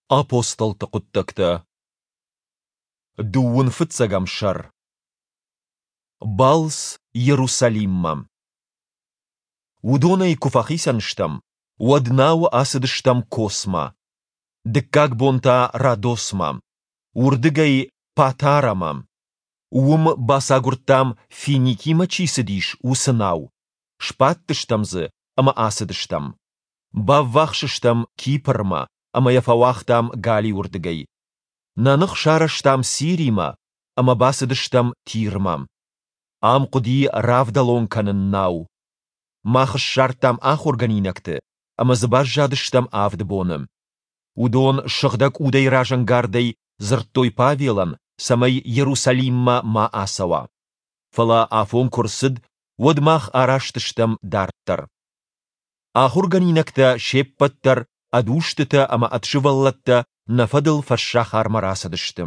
Апостолты хъуыддӕгтӕ Дыууын фыццӕгӕм сӕр Балц Иерусалиммӕ Уыдонӕй куы фӕхицӕн стӕм, уӕд науы ацыдыстӕм Космӕ. Дыккаг бон та Родосмӕ. Уырдыгӕй Патарамӕ. Уым бацагуырдтам, Финикимӕ чи цыдис, уыцы нау. Сбадтыстӕм дзы ӕмӕ ацыдыстӕм. Баввахс стӕм Кипрмӕ ӕмӕ йӕ фӕуагътам галиуырдыгӕй. Нӕ ных сарӕзтам Сиримӕ ӕмӕ бацыдыстӕм Тирмӕ. Ам хъуыди равдӕлон кӕнын нау. Мах ссардтам ахуыргӕнинӕгты ӕмӕ дзы баззадыстӕм авд боны. Уыдон Сыгъдӕг Удӕй разӕнгардӕй дзырдтой Павелӕн, цӕмӕй Иерусалиммӕ ма ацӕуа. Фӕлӕ афон куы рцыд, уӕд мах араст стӕм дарддӕр. Ахуыргӕнинӕгтӕ се ппӕт дӕр ӕд устытӕ ӕмӕ ӕд сывӕллӕттӕ нӕ фӕдыл фӕссахармӕ рацыдысты.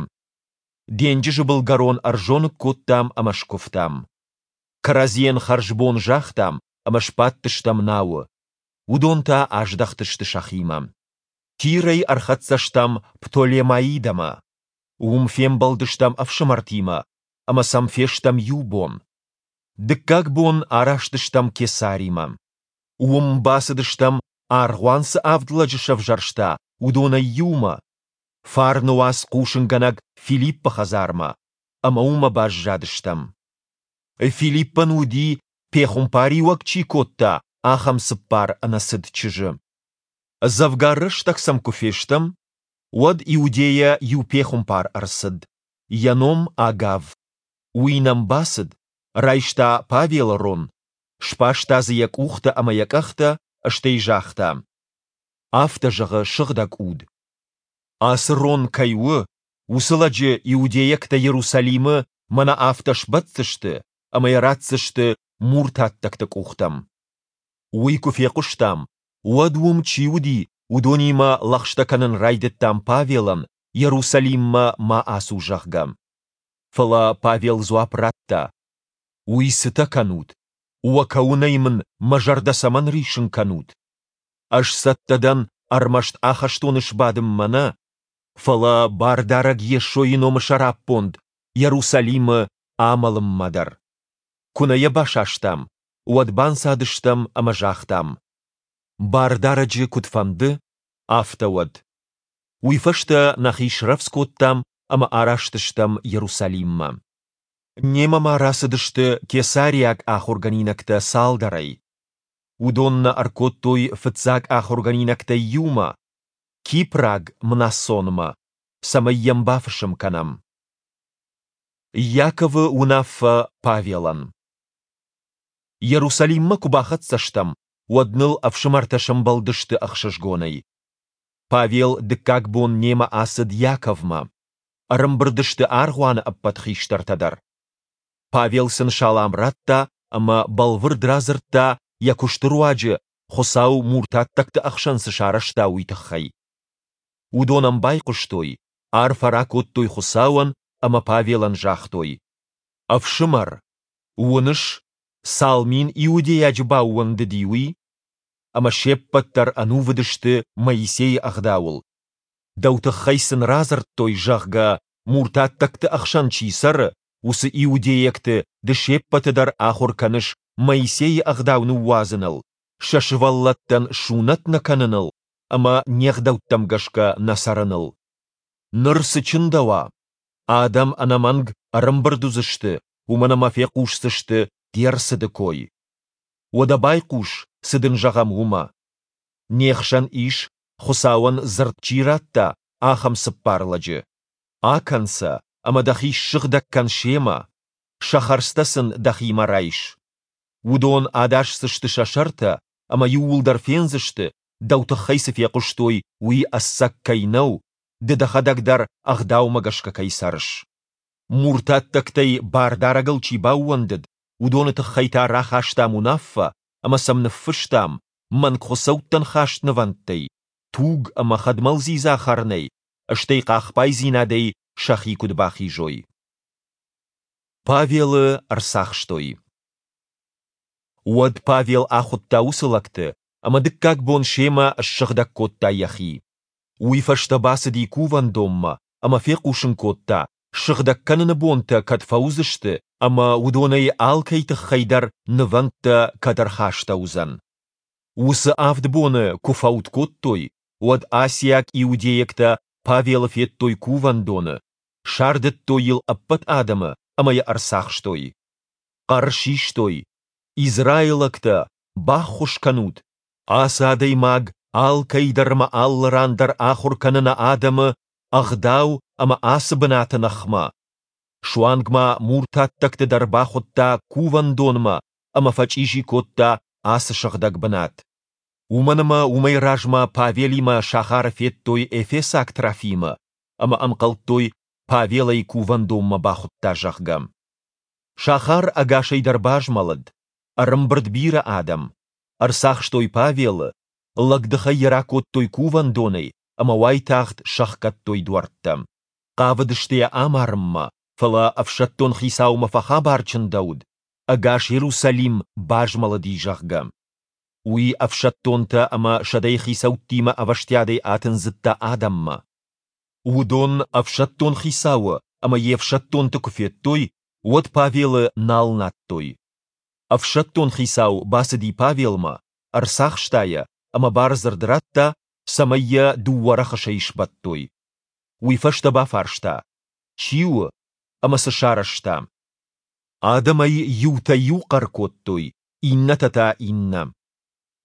Денджызы былгӕрон ӕрзоныг кодтам ӕмӕ скуывтам. Кӕрӕдзийӕн хӕрзбон загътам ӕмӕ сбадтыстӕм науы. Уыдон та аздӕхтысты сӕхимӕ. Тирӕй ӕрхӕццӕ стӕм Птолемаидӕмӕ. Уым фембӕлдыстӕм ӕфсымӕртимӕ ӕмӕ сӕм фестӕм иу бон. Дыккаг бон араст стӕм Кесаримӕ. Уым бацыдыстӕм, аргъуан цы авд лӕджы сӕвзӕрста, уыдонӕй иумӕ, фарны уац хъусынгӕнӕг Филиппы хӕдзармӕ, ӕмӕ уымӕ баззадыстӕм. Филиппӕн уыди, пехуымпариуӕг чи кодта, ахӕм цыппар ӕнӕцыд чызджы. Дзӕвгар рӕстӕг сӕм куы фестӕм, уӕд Иудейӕ иу пехуымпар ӕрцыд, йӕ ном Агав. Уый нӕм бацыд, райста Павелы рон, сбаста дзы йӕ къухтӕ ӕмӕ йӕ къӕхтӕ, стӕй загъта: Афтӕ зӕгъы Сыгъдӕг Уд. Ацы рон кӕй у, уыцы лӕджы иудейӕгтӕ Иерусалимы мӕнӕ афтӕ сбӕтдзысты ӕмӕ йӕ ратдзысты муртаттӕгты къухтӕм. Уый куы фехъуыстам, уӕд уым чи уыди, уыдонимӕ лӕгъстӕ кӕнын райдыдтам Павелӕн, Иерусалиммӕ ма ацу, зӕгъгӕ. Фӕлӕ Павел дзуапп радта: Уый цытӕ кӕнут? Уӕ кӕуынӕй мын мӕ зӕрдӕ цӕмӕн риссын кӕнут? Ӕз цӕттӕ дӕн ӕрмӕст ахӕстоны сбадынмӕ нӕ, фӕлӕ Бардарӕг Йесойы номы сӕраппонд Иерусалимы амӕлынмӕ дӕр. Куы нӕ йӕ басастам, уӕд банцадыстӕм ӕмӕ загътам: Бардарӕджы куыд фӕнды, афтӕ уӕд. Уый фӕстӕ нӕхи срӕвдз кодтам ӕмӕ араст стӕм Иерусалиммӕ. Немӕ ма рацыдысты кесариаг ахуыргӕнинӕгтӕ цалдӕрӕй. Уыдон нӕ ӕркодтой фыццаг ахуыргӕнинӕгтӕй иумӕ, кипраг Мнасонмӕ, цӕмӕй йӕм бафысым кӕнӕм. Иаковы уынаффӕ Павелӕн Иерусалиммӕ куы бахӕццӕ стӕм, уӕд ныл ӕфсымӕртӕ сӕмбӕлдысты ӕхсызгонӕй. Павел дыккаг бон немӕ ацыд Иаковмӕ. Ӕрӕмбырд сты аргъуаны ӕппӕт хистӕртӕ дӕр. Павел сын салам радта ӕмӕ бӕлвырд радзырдта, йӕ куысты руаджы Хуыцау муртаттӕгты ӕхсӕн цы сарӕзта, уый тыххӕй. Уыдон ӕм байхъуыстой, арфӕ ракодтой Хуыцауӕн ӕмӕ Павелӕн загътой: Ӕфсымӕр, уыныс, цал мин иудейаджы баууӕндыди, уый? Ӕмӕ се ппӕт дӕр ӕнувыд сты Моисейы ӕгъдауыл. Дӕу тыххӕй сын радзырдтой, зӕгъгӕ, муртаттӕгты ӕхсӕн чи цӕры, уыцы иудейӕгты ды се ппӕты дӕр ахуыр кӕныс Моисейы ӕгъдау ныууадзыныл, сӕ сывӕллӕттӕн сунӕт нӕ кӕныныл ӕмӕ не гъдӕуттӕм гӕсгӕ нӕ цӕрыныл. Ныр цы чындӕуа? Адӕм ӕнӕмӕнг ӕрӕмбырд уыдзысты, уымӕн ӕмӕ фехъусдзысты де рцыды кой. Уӕдӕ байхъус, цы дын зӕгъӕм, уымӕ. Не хсӕн ис, Хуыцауӕн дзырд чи радта, ахӕм цыппар лӕджы. Акӕн сӕ ӕмӕ дӕхи ссыгъдӕг кӕн семӕ, сӕ хӕрдзтӕ сын дӕхимӕ райс. Уыдон адасдзысты сӕ сӕртӕ ӕмӕ иууылдӕр фендзысты, дӕу тыххӕй цы фехъуыстой, уый ӕцӕг кӕй нӕу, ды дӕхӕдӕг дӕр ӕгъдаумӕ гӕсгӕ кӕй цӕрыс. Муртаттӕгтӕй Бардарӕгыл чи баууӕндыд, уыдоны тыххӕй та рахастам уынаффӕ ӕмӕ сӕм ныффыстам, мӕнгхуыцӕуттӕн хаст нывӕндтӕй, туг ӕмӕ хӕдмӕлдзидза хӕрынӕй, стӕй хъахбайдзинадӕй сӕхи куыд бахизой. Павелы ӕрцахстой. Уӕд Павел ахуыдта уыцы лӕгты ӕмӕ дыккаг бон семӕ ссыгъдӕг кодта йӕхи. Уый фӕстӕ бацыди кувӕндонмӕ ӕмӕ фехъусын кодта, сыгъдӕг кӕныны бонтӕ кӕд фӕуыдзысты ӕмӕ уыдонӕй алкӕй тыххӕй дӕр нывӕндтӕ кӕд ӕрхастӕуыдзӕн. Уыцы авд боны куы фӕуд кодтой, уӕд асиаг иудейӕгтӕ Павелы федтой кувӕндоны, сардыдтой йыл ӕппӕт адӕмы ӕмӕ йӕ ӕрцахстой. Хъӕр систой: Израилӕгтӕ, баххуыс кӕнут! Ацы адӕймаг алкӕй дӕр ӕмӕ алы ран дӕр ахуыр кӕны нӕ адӕмы Ӕгъдау ӕмӕ ацы бынаты ныхмӕ. Суанг ма муртаттӕгты дӕр бахуыдта кувӕндонмӕ ӕмӕ фӕчъизи кодта ацы сыгъдӕг бынат. Уымӕн ӕмӕ уымӕй размӕ Павелимӕ сахары федтой эфесаг Трофимы ӕмӕ ӕнхъӕлдтой, Павел ӕй кувӕндонмӕ бахуыдта, зӕгъгӕ. Сахар ӕгасӕй дӕр базмӕлыд, ӕрӕмбырд бирӕ адӕм. Ӕрцахстой Павелы, лӕгдыхӕй йӕ ракодтой кувӕндонӕй ӕмӕ уайтагъд сӕхгӕдтой дуӕрттӕ. Хъавыдысты йӕ амарынмӕ, фӕлӕ ӕфсӕддон хицаумӕ фӕхабар чындӕуыд, ӕгас Иерусалим базмӕлыди, зӕгъгӕ. Уый ӕфсӕддонтӕ ӕмӕ сӕдӕйы хицӕуттимӕ ӕвӕстиатӕй атындзыдта адӕммӕ. Уыдон ӕфсӕддон хицауы ӕмӕ йе фсӕддонты куы федтой, уӕд Павелы нал надтой. Ӕфсӕддон хицау бацыди Павелмӕ, ӕрцахста йӕ ӕмӕ бардзырд радта, цӕмӕй йӕ дыууӕ рӕхысӕй сбӕттой. Уый фӕстӕ бафарста, чи у ӕмӕ цы сарӕзта. Адӕмӕй иутӕ иу хъӕр кодтой, иннӕтӕ та иннӕ.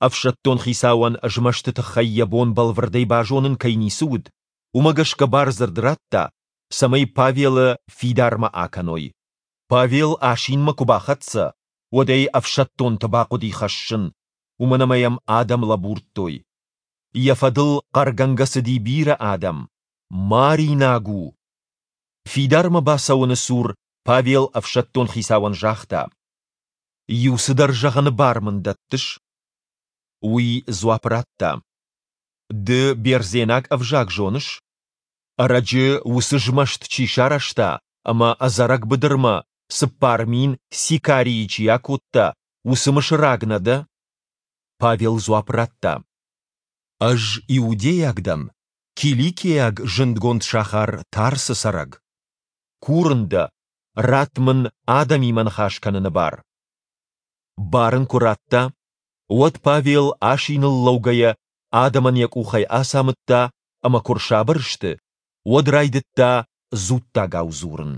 Ӕфсӕддон хицауӕн змӕсты тыххӕй йӕ бон бӕлвырдӕй базонын кӕй ницы уыд, уымӕ гӕсгӕ бардзырд радта, цӕмӕй Павелы фидармӕ акӕной. Павел асинмӕ куы бахӕццӕ, уӕд ӕй ӕфсӕддонты бахъуыди хӕссын, уымӕн ӕмӕ йӕм адӕм лӕбурдтой. Йӕ фӕдыл хъӕргӕнгӕ цыди бирӕ адӕм: Маринаг у! Фидармӕ бацӕуӕны цур Павел ӕфсӕддон хицауӕн загъта: Иу цыдӕр зӕгъыны бар мын дӕттыс? Уый дзуапп радта: Ды бердзенаг ӕвзаг зоныс? Ӕрӕджы уыцы змӕст чи сарӕзта ӕмӕ ӕдзӕрӕг быдырмӕ 4000 сикарийы чи акодта, уыцы мысыраг нӕ дӕ? Павел дзуапп радта: Ӕз иудейаг дӕн, киликиаг зындгонд сахар Тарсы цӕрӕг. Курын дӕ, ратт мын адӕмимӕ ныхас кӕныны бар. Бар ын куы радта, уӕд Павел асиныл лӕугӕйӕ адӕмӕн йӕ къухӕй ацамыдта ӕмӕ куы рсабыр сты, уӕд райдыдта дзуттагау дзурын.